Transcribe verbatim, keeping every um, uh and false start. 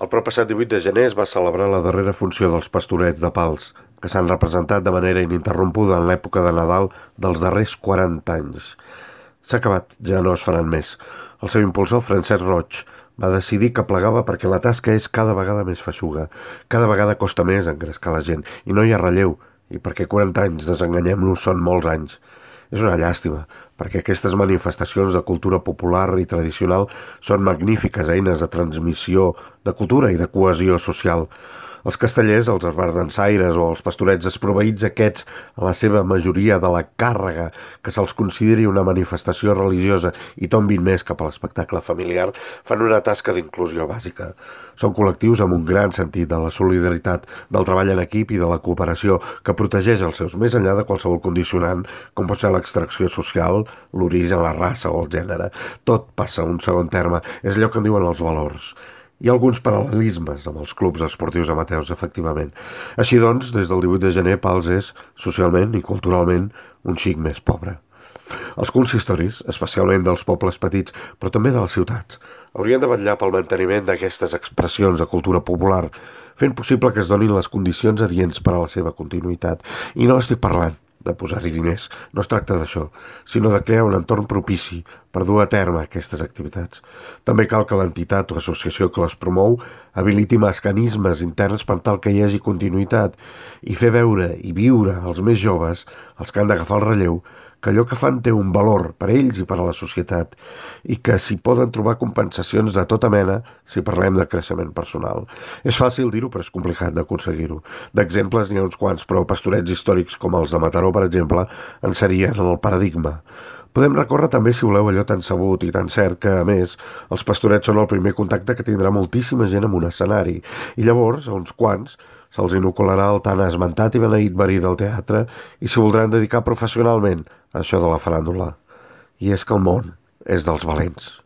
El proppassat divuit de gener es va celebrar la darrera funció dels Pastorets de Pals, que s'han representat de manera ininterrompuda en l'època de Nadal dels darrers quaranta anys. S'ha acabat, ja no es faran més. El seu impulsor, Francesc Roig, va decidir que plegava perquè la tasca és cada vegada més feixuga, cada vegada costa més engrescar la gent, i no hi ha relleu, i perquè quaranta anys, desenganyem-nos, són molts anys. És una llàstima, perquè aquestes manifestacions de cultura popular i tradicional són magnífiques eines de transmissió de cultura i de cohesió social. Els castellers, els esbardansaires o els pastorets desproveïts aquests, a la seva majoria de la càrrega que se'ls consideri una manifestació religiosa i tombin més cap a l'espectacle familiar, fan una tasca d'inclusió bàsica. Són col·lectius amb un gran sentit de la solidaritat, del treball en equip i de la cooperació que protegeix els seus més enllà de qualsevol condicionant, com pot ser l'extracció social, l'origen, la raça o el gènere. Tot passa a un segon terme, és allò que en diuen els valors. Hi ha alguns paral·lelismes amb els clubs esportius amateurs, efectivament. Així doncs, des del divuit de gener, Pals és, socialment i culturalment, un xic més pobre. Els consistoris, especialment dels pobles petits, però també de les ciutats, haurien de vetllar pel manteniment d'aquestes expressions de cultura popular, fent possible que es donin les condicions adients per a la seva continuïtat. I no estic parlant de posar-hi diners, no es tracta d'això, sinó de crear un entorn propici per dur a terme aquestes activitats. També cal que l'entitat o associació que les promou habiliti mecanismes interns per tal que hi hagi continuïtat i fer veure i viure als més joves, els que han d'agafar el relleu, que allò que fan té un valor per a ells i per a la societat i que s'hi poden trobar compensacions de tota mena si parlem de creixement personal. És fàcil dir-ho, però és complicat d'aconseguir-ho. D'exemples n'hi ha uns quants, però pastorets històrics com els de Mataró, per exemple, en serien el paradigma. Podem recórrer també, si voleu, allò tan sabut i tan cert que, a més, els pastorets són el primer contacte que tindrà moltíssima gent en un escenari. I llavors, a uns quants, se'ls inocularà el tan esmentat i beneït verí del teatre i s'hi voldran dedicar professionalment a això de la faràndula. I és que el món és dels valents.